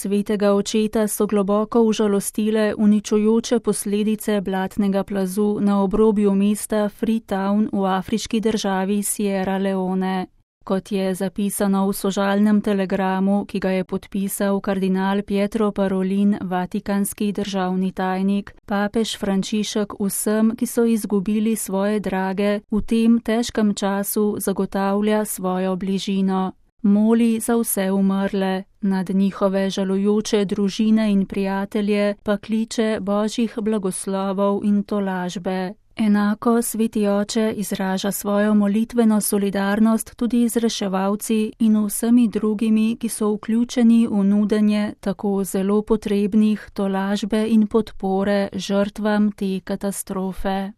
svetega očeta so globoko užalostile uničujoče posledice blatnega plazu na obrobju mesta Freetown v afriški državi Sierra Leone. Kot je zapisano v sožalnem telegramu, ki ga je podpisal kardinal Pietro Parolin, vatikanski državni tajnik, papež Frančišek vsem, ki so izgubili svoje drage, v tem težkem času zagotavlja svojo bližino. Moli za vse umrle, nad njihove žalujoče družine in prijatelje pa kliče božjih blagoslovov in tolažbe. Enako sveti oče izraža svojo molitveno solidarnost tudi z reševalci in vsemi drugimi, ki so vključeni v nudenje tako zelo potrebnih tolažbe in podpore žrtvam te katastrofe.